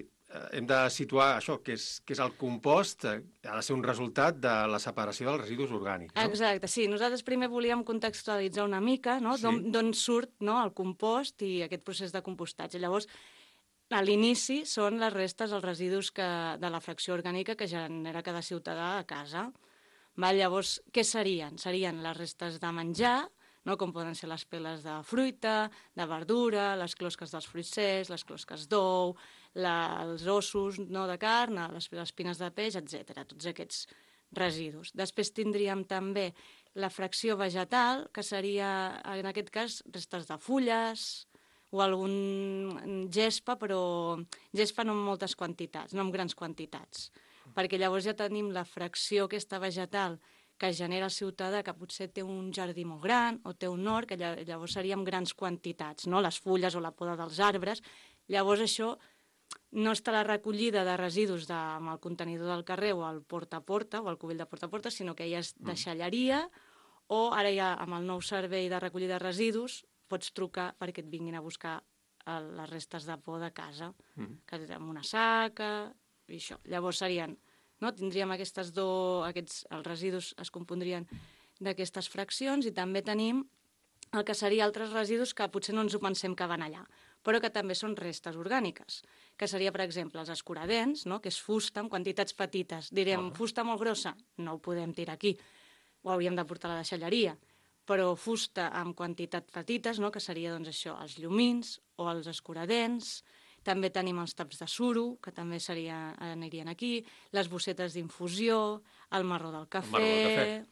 Hem de situar això, que és, que és el compost, ha de ser un resultat de la separació dels residus orgànics, no?
Exacte, sí. Nosaltres primer volíem contextualitzar una mica, no? Sí. D'on surt, no, el compost i aquest procés de compostatge. Llavors, a l'inici són les restes, els residus que, de la fracció orgànica que genera cada ciutadà a casa. Va, llavors, què serien? Serien les restes de menjar, no, com poden ser les peles de fruita, de verdura, les closques dels fruits secs, les closques d'ou, els ossos, no, de carn, les, les espines de peix, etcètera. Tots aquests residus. Després tindríem també la fracció vegetal, que seria, en aquest cas, restes de fulles, o algun gespa, però gespa no en moltes quantitats, no en grans quantitats, perquè llavors ja tenim la fracció aquesta vegetal que genera el ciutadà, que potser té un jardí molt gran o té un hort, que llavors seria en grans quantitats, no? Les fulles o la poda dels arbres. Llavors això no està la recollida de residus de, amb el contenidor del carrer o el porta a porta o el cubell de porta a porta, sinó que ja és deixalleria, o ara ja amb el nou servei de recollida de residus pots trucar perquè et vinguin a buscar les restes de por de casa, mm. que és amb una saca i això. Llavors serien, no? Tindríem aquestes dos, aquests, els residus es compondrien d'aquestes fraccions, i també tenim el que seria altres residus que potser no ens ho pensem que van allà, però que també són restes orgàniques, que seria, per exemple, els escuradents, no? Que és fusta en quantitats petites. Direm, oh. fusta molt grossa? No ho podem tirar aquí, ho hauríem de portar a la deixalleria, però fusta amb quantitats petites, no? Que seria doncs, això, els llumins o els escuradents. També tenim els taps de suro, que també seria, anirien aquí, les bossetes d'infusió, el marró del cafè,
el marró del cafè.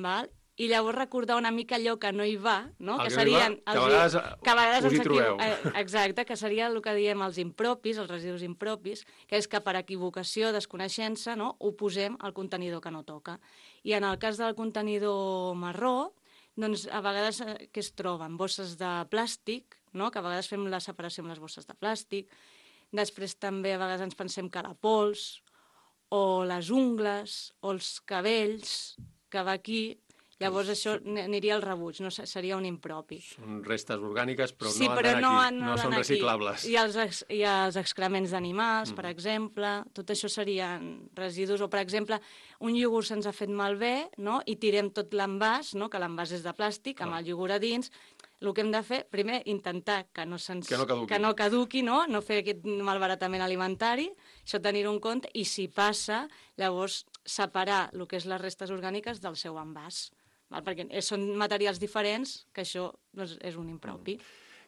Val? I llavors recordar una mica allò que no hi va, no?
El
que
que
serien...
No hi va, que a vegades,
que a vegades
us hi trobeu.
Eh, exacte, que seria el que diem els impropis, els residus impropis, que és que per equivocació, desconeixença, no? Ho posem al contenidor que no toca. I en el cas del contenidor marró, doncs a vegades eh, que es troben bosses de plàstic, no? Que a vegades fem la separació amb les bosses de plàstic. Després també a vegades ens pensem que la pols, o les ungles, o els cabells, que va aquí. Llavors això aniria al rebuig, no seria un impropi.
Són restes orgàniques, però
sí,
no
però
han
no,
d'anar aquí,
no,
no són
aquí.
reciclables.
I els, ex, i els excrements d'animals, mm. per exemple, tot això serien residus. O, per exemple, un iogurt se'ns ha fet malbé, no? I tirem tot l'envàs, no? Que l'envàs és de plàstic, amb oh. el iogurt a dins. El que hem de fer, primer, intentar que no, se'ns,
que no caduqui,
que no, caduqui no? No fer aquest malbaratament alimentari, això tenir-ho en compte, i si passa, llavors separar el que és les restes orgàniques del seu envàs. Val? Perquè són materials diferents, que això doncs, és un impropi.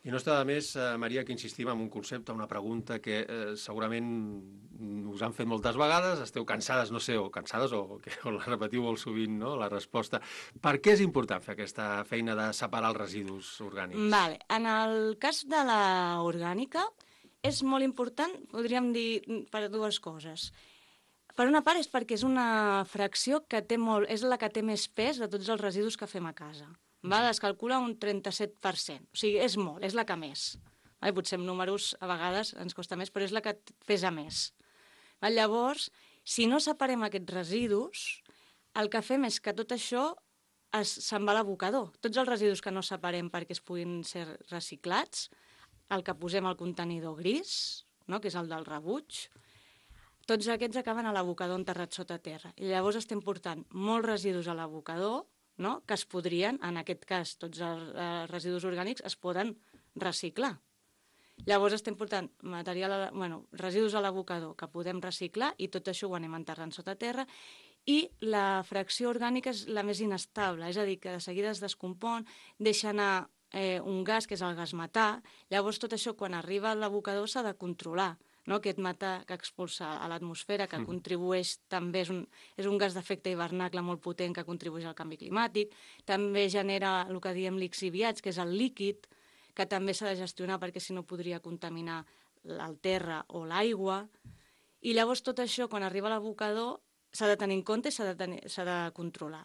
I no està de més, eh, Maria, que insistim en un concepte, una pregunta que eh, segurament us han fet moltes vegades, esteu cansades, no sé, o cansades o, que, o la repetiu molt sovint, no?, la resposta. Per què és important fer aquesta feina de separar els residus orgànics?
Vale. En el cas de la orgànica, és molt important, podríem dir, per dues coses. Per una part és perquè és una fracció que té molt, és la que té més pes de tots els residus que fem a casa. Va, es calcula un trenta-set per cent. O sigui, és molt, és la que més. Va, potser amb números a vegades ens costa més, però és la que pesa més. Va, llavors, si no separem aquests residus, el que fem és que tot això es, se'n va a l'abocador. Tots els residus que no separem perquè es puguin ser reciclats, el que posem al contenidor gris, no?, que és el del rebuig, tots aquests acaben a l'abocador enterrat sota terra. I llavors estem portant molts residus a l'abocador, no?, que es podrien, en aquest cas, tots els eh, residus orgànics es poden reciclar. Llavors estem portant material, a, bueno, residus a l'abocador que podem reciclar i tot això ho anem enterrant sota terra, i la fracció orgànica és la més inestable, és a dir, que de seguida es descompon, deixa anar eh, un gas, que és el gas metà, llavors tot això quan arriba a l'abocador s'ha de controlar, no? Aquest metà que expulsa a l'atmosfera, que mm. contribueix també, és un, és un gas d'efecte hivernacle molt potent que contribueix al canvi climàtic, també genera el que diem lixiviats, que és el líquid, que també s'ha de gestionar perquè si no podria contaminar el terra o l'aigua, i llavors tot això quan arriba a l'abocador s'ha de tenir en compte i s'ha de, tenir, s'ha de controlar.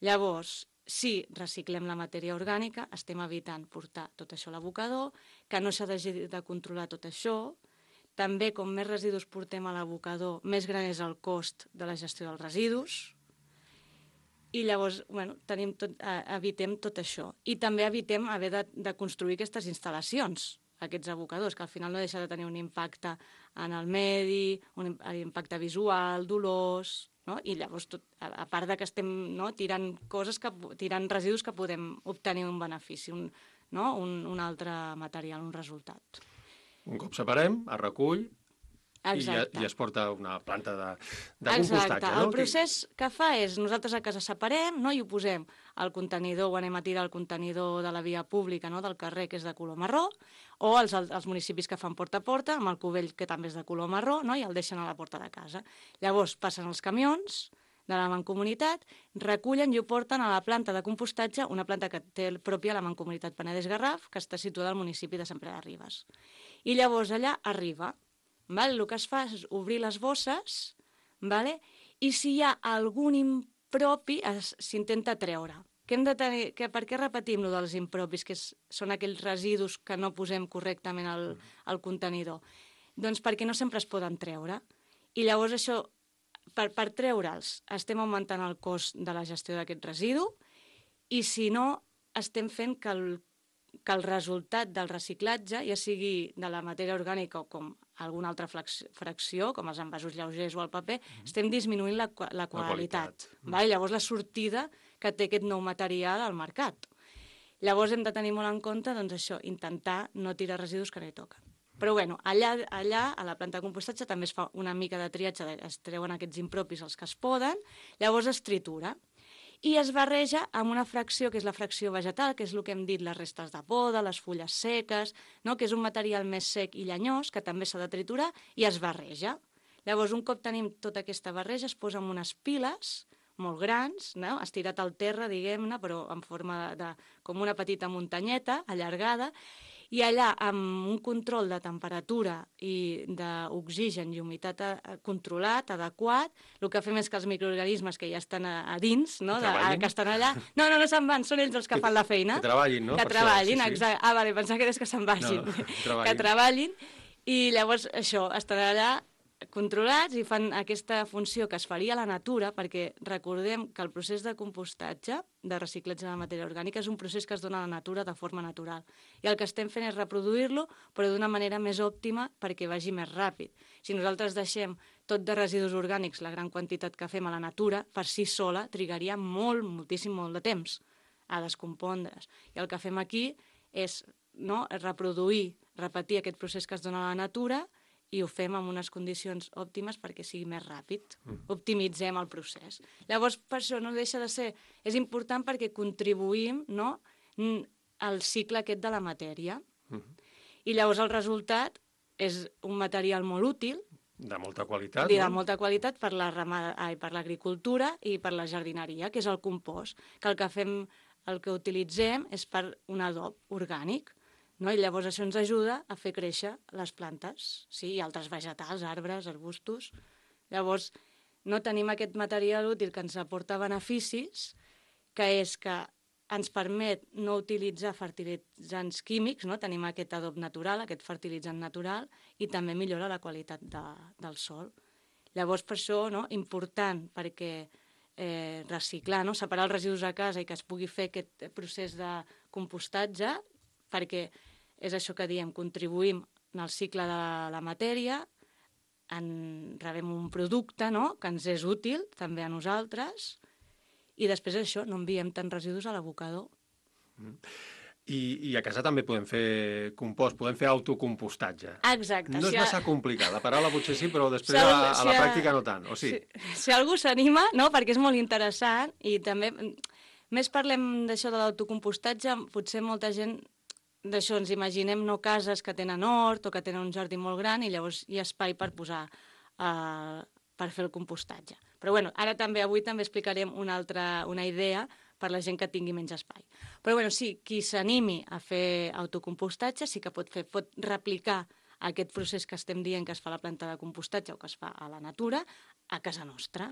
Llavors, si reciclem la matèria orgànica, estem evitant portar tot això a l'abocador, que no s'ha de, de controlar tot això. També, com més residus portem a l'abocador, més gran és el cost de la gestió dels residus. I llavors, bueno, tenim tot, eh, evitem tot això. I també evitem haver de, de construir aquestes instal·lacions, aquests abocadors, que al final no deixa de tenir un impacte en el medi, un impacte visual, dolors, no? I llavors, tot, a, a part de que estem, no?, tirant coses, que, tirant residus que podem obtenir un benefici, un, no?, un, un altre material, un resultat.
Un cop separem, es recull i, i es porta a una planta de, de compostatge.
Exacte.
No?
El procés que fa és, nosaltres a casa separem, no?, i ho posem al contenidor, ho anem a tirar al contenidor de la via pública, no?, del carrer, que és de color marró, o als, als municipis que fan porta a porta, amb el cubell, que també és de color marró, no?, i el deixen a la porta de casa. Llavors passen els camions de la Mancomunitat, recullen i ho porten a la planta de compostatge, una planta que té pròpia la Mancomunitat Penedès-Garraf, que està situada al municipi de Sant Pere de Ribes. I llavors allà arriba, vale? El que es fa és obrir les bosses, vale? I si hi ha algun impropi s'intenta treure. Que hem de tenir, que per què repetim lo dels impropis, que és, són aquells residus que no posem correctament al, al contenidor? Doncs perquè no sempre es poden treure. I llavors això, per, per treure'ls, estem augmentant el cost de la gestió d'aquest residu i si no, estem fent que el que el resultat del reciclatge, ja sigui de la matèria orgànica o com alguna altra fracció, com els envasos lleugers o el paper, mm. estem disminuint la, la qualitat. La qualitat. Vale? Llavors la sortida que té aquest nou material al mercat. Llavors hem de tenir molt en compte doncs, això, intentar no tirar residus que no hi toquen. Però bueno, allà, allà, a la planta de compostatge, també es fa una mica de triatge, es treuen aquests impropis els que es poden, llavors es tritura. I es barreja amb una fracció, que és la fracció vegetal, que és el que hem dit, les restes de poda, les fulles seques, no? Que és un material més sec i llenyós, que també s'ha de triturar, i es barreja. Llavors, un cop tenim tota aquesta barreja, es posa en unes piles molt grans, no? Estirat al terra, diguem-ne, però en forma de, com una petita muntanyeta allargada, i allà, amb un control de temperatura i d'oxigen i humitat controlat, adequat, el que fem és que els microorganismes que ja estan a, a dins, no? de, a, que estan allà... No, no, no se'n van, són ells els que fan la feina.
Que treballin, no?
Que treballin, això, sí, sí. Ah, vale, pensava que és que se'n vagin. No, no, treballin. Que treballin, i llavors això, estan allà controlats i fan aquesta funció que es faria a la natura, perquè recordem que el procés de compostatge, de reciclatge de la matèria orgànica, és un procés que es dona a la natura de forma natural. I el que estem fent és reproduir-lo, però d'una manera més òptima perquè vagi més ràpid. Si nosaltres deixem tot de residus orgànics, la gran quantitat que fem a la natura, per si sola trigaria molt, moltíssim, molt de temps a descompondre's. I el que fem aquí és, no, reproduir, repetir aquest procés que es dona a la natura i ho fem en unes condicions òptimes perquè sigui més ràpid. Mm. Optimitzem el procés. Llavors, per això no deixa de ser... És important perquè contribuïm, no, al cicle aquest de la matèria.
Uh -huh.
I llavors el resultat és un material molt útil,
de molta qualitat,
de
no?
molta qualitat per la ramada, ai, per l'agricultura i per la jardineria, que és el compost, que el que fem, el que utilitzem és per un adob orgànic, no? I llavors això ens ajuda a fer créixer les plantes, sí, i altres vegetals, arbres, arbustos. Llavors, no tenim aquest material útil que ens aporta beneficis, que és que ens permet no utilitzar fertilitzants químics, no? Tenim aquest adob natural, aquest fertilitzant natural, i també millora la qualitat de, del sòl. Llavors, per això, no? Important, perquè eh, reciclar, no? Separar els residus a casa i que es pugui fer aquest procés de compostatge, perquè és això que diem, contribuïm en el cicle de la matèria, en rebem un producte, no? Que ens és útil també a nosaltres, i després això, no enviem tants residus a l'abocador.
Mm. I, I a casa també podem fer compost, podem fer autocompostatge.
Exacte.
No és
si
massa
a...
complicat, la paraula potser sí, però després
si
a,
algú,
a
si
la
a...
pràctica no tant, o sí?
Si, si algú s'anima, no? Perquè és molt interessant, i també, més parlem d'això de l'autocompostatge, potser molta gent d'això ens imaginem no cases que tenen hort o que tenen un jardí molt gran i llavors hi ha espai per posar, uh, per fer el compostatge. Però bueno, ara també, avui també explicarem una altra, una idea per la gent que tingui menys espai. Però bueno, sí, qui s'animi a fer autocompostatge sí que pot fer, pot replicar aquest procés que estem dient que es fa a la planta de compostatge o que es fa a la natura a casa nostra.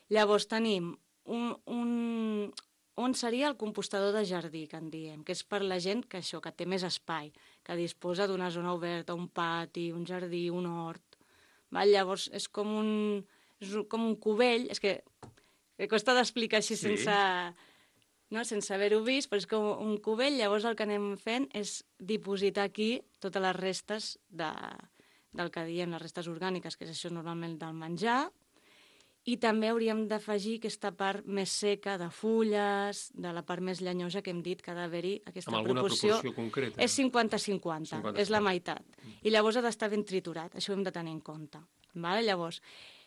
Llavors tenim un, un, on seria el compostador de jardí, que en diem, que és per la gent que això, que té més espai, que disposa d'una zona oberta, un pati, un jardí, un hort. Val? Llavors és com un, és com un cubell, és que, que costa d'explicar així sí. sense, no? sense haver-ho vist, però és com un cubell, llavors el que anem fent és dipositar aquí totes les restes de, del que diem, les restes orgàniques, que és això normalment del menjar, i també hauríem d'afegir aquesta part més seca de fulles, de la part més llenyosa que hem dit que ha d'haver-hi aquesta
amb alguna
proporció.
proporció concreta?
És cinquanta cinquanta, és la meitat. I llavors ha d'estar ben triturat, això ho hem de tenir en compte. Vale? Llavors,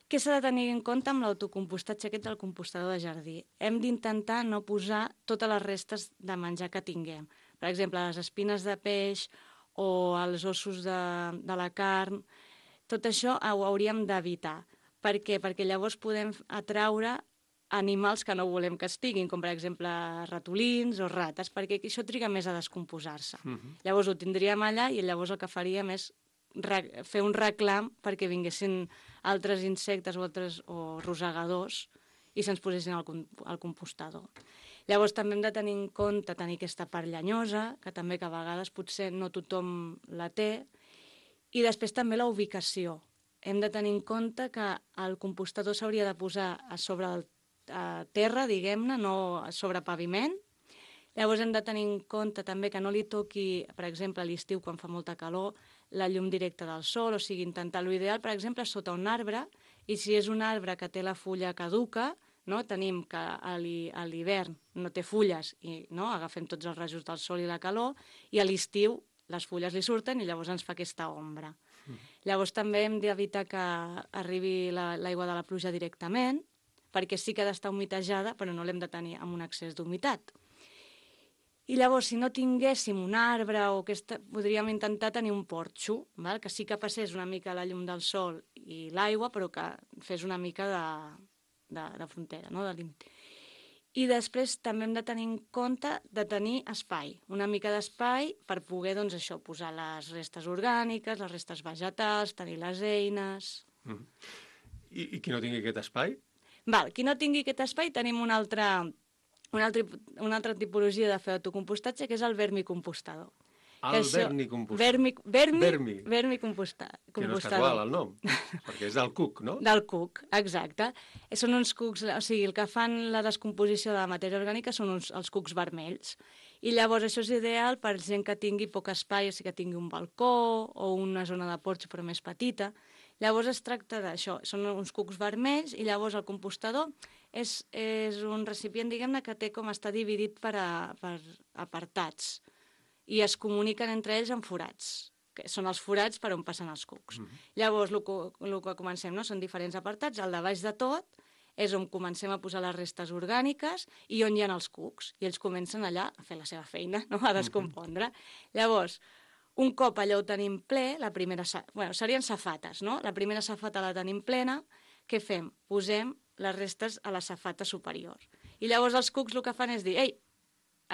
què s'ha de tenir en compte amb l'autocompostatge aquest del compostador de jardí? Hem d'intentar no posar totes les restes de menjar que tinguem. Per exemple, les espines de peix o els ossos de, de la carn, tot això ho hauríem d'evitar. Per què? Perquè llavors podem atraure animals que no volem que estiguin, com per exemple ratolins o rates, perquè això triga més a descomposar-se. Uh -huh. Llavors ho tindríem allà i llavors el que faríem és fer un reclam perquè vinguessin altres insectes o altres o rosegadors i se'ns posessin al, al compostador. Llavors també hem de tenir en compte tenir aquesta part llenyosa, que també que a vegades potser no tothom la té, i després també la ubicació. Hem de tenir en compte que el compostador s'hauria de posar a sobre el, a terra, diguem-ne, no sobre paviment. Llavors hem de tenir en compte també que no li toqui, per exemple, a l'estiu quan fa molta calor, la llum directa del sol, o sigui, intentar l'ideal, per exemple, sota un arbre, i si és un arbre que té la fulla caduca, no? Tenim que a l'hivern no té fulles i no? agafem tots els rajos del sol i la calor, i a l'estiu les fulles li surten i llavors ens fa aquesta ombra. Mm. Llavors també hem d'evitar que arribi l'aigua la, de la pluja directament, perquè sí que ha d'estar humitejada, però no l'hem de tenir amb un excés d'humitat. I llavors, si no tinguéssim un arbre o aquesta, podríem intentar tenir un porxo, val? Que sí que passés una mica la llum del sol i l'aigua, però que fes una mica de, de, de frontera, no? De límit. I després també hem de tenir en compte de tenir espai, una mica d'espai per poder, doncs, això, posar les restes orgàniques, les restes vegetals, tenir les eines...
Mm. I, I qui no tingui aquest espai?
Val, qui no tingui aquest espai tenim una altra, una altra, una altra tipologia de fer autocompostatge, que és el vermicompostador.
El vermicompostador.
Vermi, vermi,
vermi.
vermicompostador.
Que no és casual el nom, perquè és del cuc, no?
Del cuc, exacte. Són uns cucs, o sigui, el que fan la descomposició de la matèria orgànica són uns, els cucs vermells. I llavors això és ideal per gent que tingui poc espai, o sigui, que tingui un balcó o una zona de porxo però més petita. Llavors es tracta d'això, són uns cucs vermells i llavors el compostador és, és un recipient, diguem-ne, que té com està dividit per, a, per apartats i es comuniquen entre ells en forats, que són els forats per on passen els cucs. Mm-hmm. Llavors, el que, el que comencem, no? Són diferents apartats, el de baix de tot és on comencem a posar les restes orgàniques i on hi ha els cucs, i ells comencen allà a fer la seva feina, no? A descompondre. Mm-hmm. Llavors, un cop allò ho tenim ple, la primera... Bueno, serien safates, no? La primera safata la tenim plena, què fem? Posem les restes a la safata superior. I llavors els cucs el que fan és dir, ei,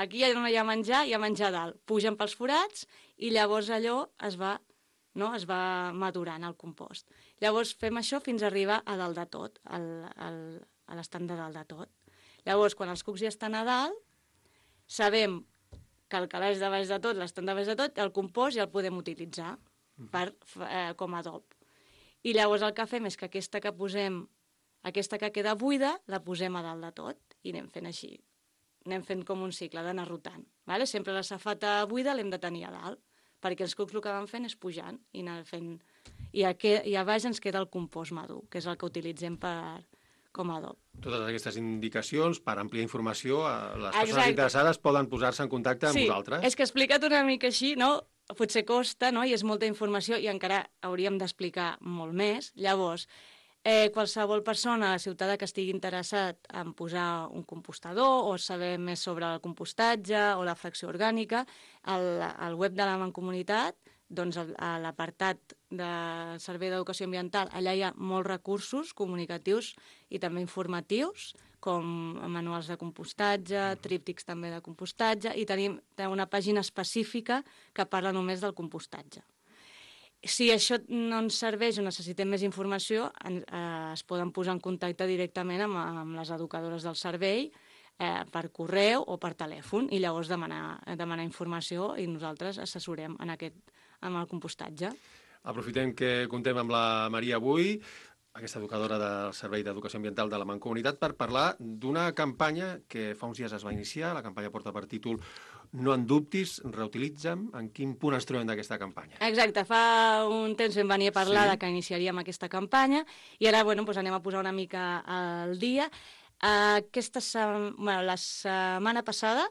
aquí ja no hi ha menjar, hi ha menjar a dalt. Pugen pels forats i llavors allò es va, no? es va madurant al compost. Llavors fem això fins a arribar a dalt de tot, al, al, a l'estant de dalt de tot. Llavors, quan els cucs ja estan a dalt, sabem que el calaix de baix de tot, l'estant de baix de tot, el compost ja el podem utilitzar per, eh, com a adob. I llavors el que fem és que aquesta que posem, aquesta que queda buida, la posem a dalt de tot i anem fent així. Anem fent com un cicle d'anar rotant. Vale? Sempre la safata buida l'hem de tenir a dalt, perquè els cucs el que van fent és pujant i anar fent... I a, que, i a baix ens queda el compost madur, que és el que utilitzem per, com a adob.
Totes aquestes indicacions, per ampliar informació, les persones
Exacte. interessades
poden posar-se en contacte amb
sí,
vosaltres.
Sí, és que explicat una mica així, no? Potser costa, no? I és molta informació i encara hauríem d'explicar molt més. Llavors, eh, qualsevol persona, ciutadà que estigui interessat en posar un compostador o saber més sobre el compostatge o la fracció orgànica, al, al web de la Mancomunitat, doncs a l'apartat del Servei d'Educació Ambiental, allà hi ha molts recursos comunicatius i també informatius, com manuals de compostatge, tríptics també de compostatge, i tenim una pàgina específica que parla només del compostatge. Si això no ens serveix o necessitem més informació, en, eh, es poden posar en contacte directament amb, amb les educadores del servei, eh, per correu o per telèfon, i llavors demanar, demanar informació i nosaltres assessorem en aquest, amb el compostatge.
Aprofitem que contem amb la Maria avui, aquesta educadora del Servei d'Educació Ambiental de la Mancomunitat, per parlar d'una campanya que fa uns dies es va iniciar. La campanya porta per títol No en dubtis, reutilitza'm. En quin punt ens trobem d'aquesta campanya?
Exacte, fa un temps vam venir a parlar
Sí.
de que iniciaríem aquesta campanya i ara bueno, doncs anem a posar una mica al dia. Aquesta se... bueno, la setmana passada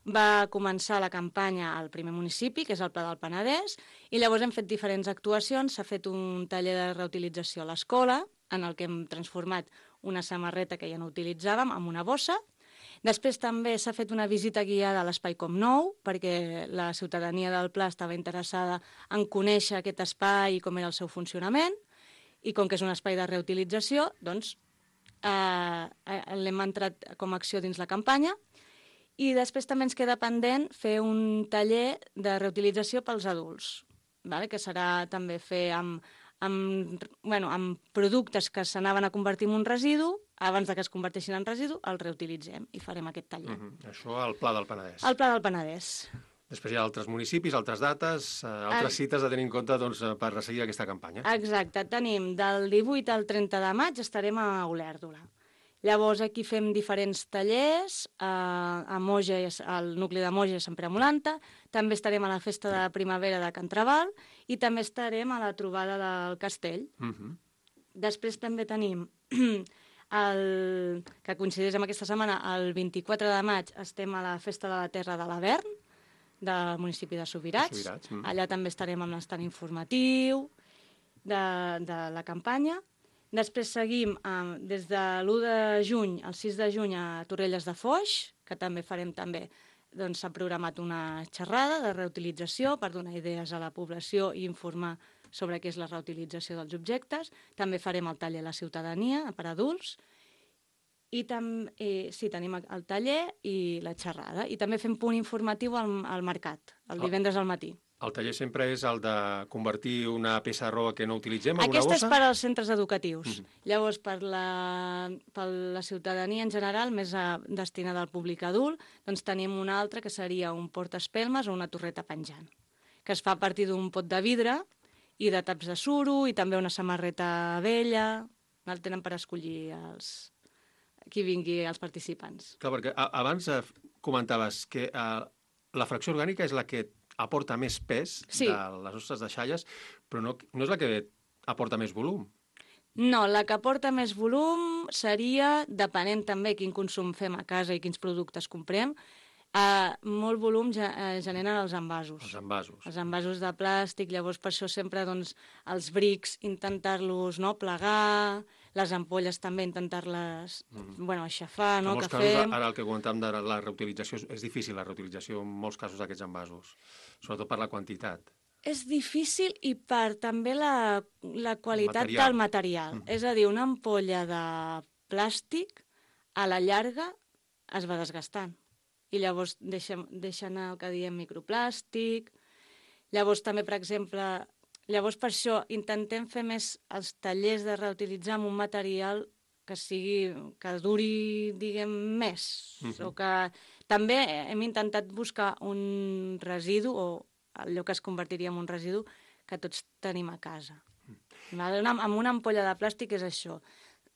va començar la campanya al primer municipi, que és el Pla del Penedès, i llavors hem fet diferents actuacions. S'ha fet un taller de reutilització a l'escola, en el que hem transformat una samarreta que ja no utilitzàvem en una bossa. Després també s'ha fet una visita guiada a l'Espai Com Nou, perquè la ciutadania del Pla estava interessada en conèixer aquest espai i com era el seu funcionament, i com que és un espai de reutilització, doncs eh, l'hem entrat com a acció dins la campanya. I després també ens queda pendent fer un taller de reutilització pels adults, vale? Que serà també fer amb, amb, bueno, amb productes que s'anaven a convertir en un residu, abans de que es converteixin en residu, el reutilitzem i farem aquest taller.
Uh -huh. Això al Pla del Penedès.
El Pla del Penedès.
Després hi ha altres municipis, altres dates, eh, altres
El...
cites a tenir en compte doncs, per seguir aquesta campanya.
Exacte. Tenim del divuit al trenta de maig estarem a Olèrdola. Llavors aquí fem diferents tallers, eh, a Moja, al nucli de Moja i Sant Pere Molanta, també estarem a la festa de primavera de Can Trabal i també estarem a la trobada del Castell.
Uh -huh.
Després també tenim, el, que coincideix amb aquesta setmana, el vint-i-quatre de maig estem a la festa de la Terra de l'Avern, del municipi de Subirats.
Subirats mm.
Allà també estarem amb l'estat informatiu de, de la campanya. Després seguim eh, des de l'u de juny al sis de juny a Torrelles de Foix, que també farem també, doncs s'ha programat una xerrada de reutilització per donar idees a la població i informar sobre què és la reutilització dels objectes. També farem el taller a la ciutadania per adults. I també, eh, sí, tenim el taller i la xerrada. I també fem punt informatiu al, al mercat, el divendres al matí.
El taller sempre és el de convertir una peça de roba que no utilitzem en
Aquesta
una bossa?
és per als centres educatius.
Mm-hmm.
Llavors, per la, per la ciutadania en general, més a, destinada al públic adult, doncs tenim una altra que seria un portaespelmes o una torreta penjant, que es fa a partir d'un pot de vidre i de taps de suro i també una samarreta vella. El tenen per escollir els, qui vingui els participants.
Clar, perquè a, abans eh, comentaves que eh, la fracció orgànica és la que aporta més pes
Sí.
de les nostres deixalles, però no, no és la que aporta més volum.
No, la que aporta més volum seria, depenent també quin consum fem a casa i quins productes comprem, eh, molt volum ge eh, generen els envasos.
Els envasos.
Els envasos de plàstic, llavors per això sempre doncs, els brics intentar-los no, plegar, les ampolles també intentar-les mm. bueno, aixafar, no,
en molts
que
casos,
fem.
ara el que comentàvem de la reutilització, és, és difícil la reutilització en molts casos d'aquests envasos, sobretot per la quantitat.
És difícil i per també la, la qualitat
material.
del material. Mm. És a dir, una ampolla de plàstic a la llarga es va desgastant. I llavors deixa, deixa anar el que diem microplàstic. Llavors també, per exemple, llavors per això intentem fer més els tallers de reutilitzar amb un material que sigui, que duri, diguem, més. Mm-hmm. O que també hem intentat buscar un residu o allò que es convertiria en un residu que tots tenim a casa. Mm. Amb una ampolla de plàstic és això.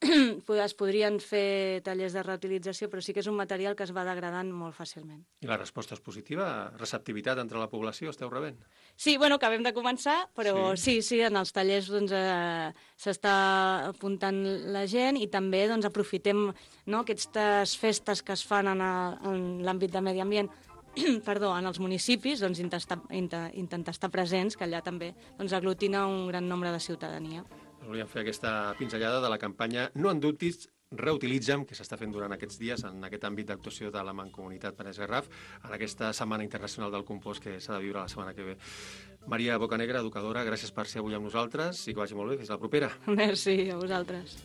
Es podrien fer tallers de reutilització, però sí que és un material que es va degradant molt fàcilment.
I la resposta és positiva? Receptivitat entre la població esteu rebent?
Sí, bueno, acabem de començar, però sí, sí, sí en els tallers doncs, eh, s'està apuntant la gent i també doncs, aprofitem, no, aquestes festes que es fan en, a, en l'àmbit de medi ambient, perdó, en els municipis, doncs, intentar, intentar estar presents, que allà també doncs, aglutina un gran nombre de ciutadania.
Volíem fer aquesta pinzellada de la campanya No en dubtis, reutilitza'm, que s'està fent durant aquests dies en aquest àmbit d'actuació de la Mancomunitat Penedès Garraf, en aquesta Setmana Internacional del Compost que s'ha de viure la setmana que ve. Maria Bocanegra, educadora, gràcies per ser avui amb nosaltres i que vagi molt bé. Fins la propera.
Merci, a vosaltres.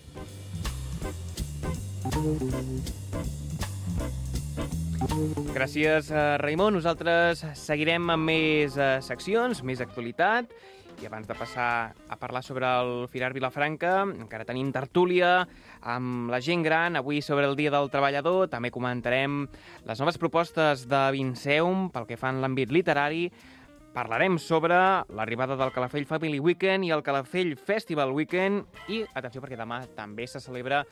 Gràcies, Raimon. Nosaltres seguirem amb més seccions, més actualitat. I abans de passar a parlar sobre el Firar Vilafranca, encara tenim tertúlia amb la gent gran, avui sobre el Dia del Treballador. També comentarem les noves propostes de Vinceum pel que fa en l'àmbit literari. Parlarem sobre l'arribada del Calafell Family Weekend i el Calafell Festival Weekend. I, atenció, perquè demà també se celebra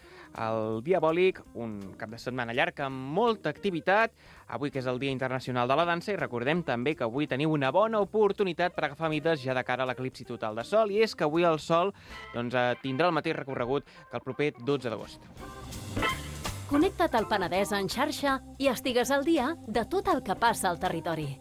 el Diabòlic, un cap de setmana llarg amb molta activitat. Avui que és el Dia Internacional de la Dansa i recordem també que avui teniu una bona oportunitat per agafar mides ja de cara a l'eclipsi total de sol, i és que avui el sol doncs, tindrà el mateix recorregut que el proper dotze d'agost.
Connecta't al Penedès en xarxa i estigues al dia de tot el que passa al territori.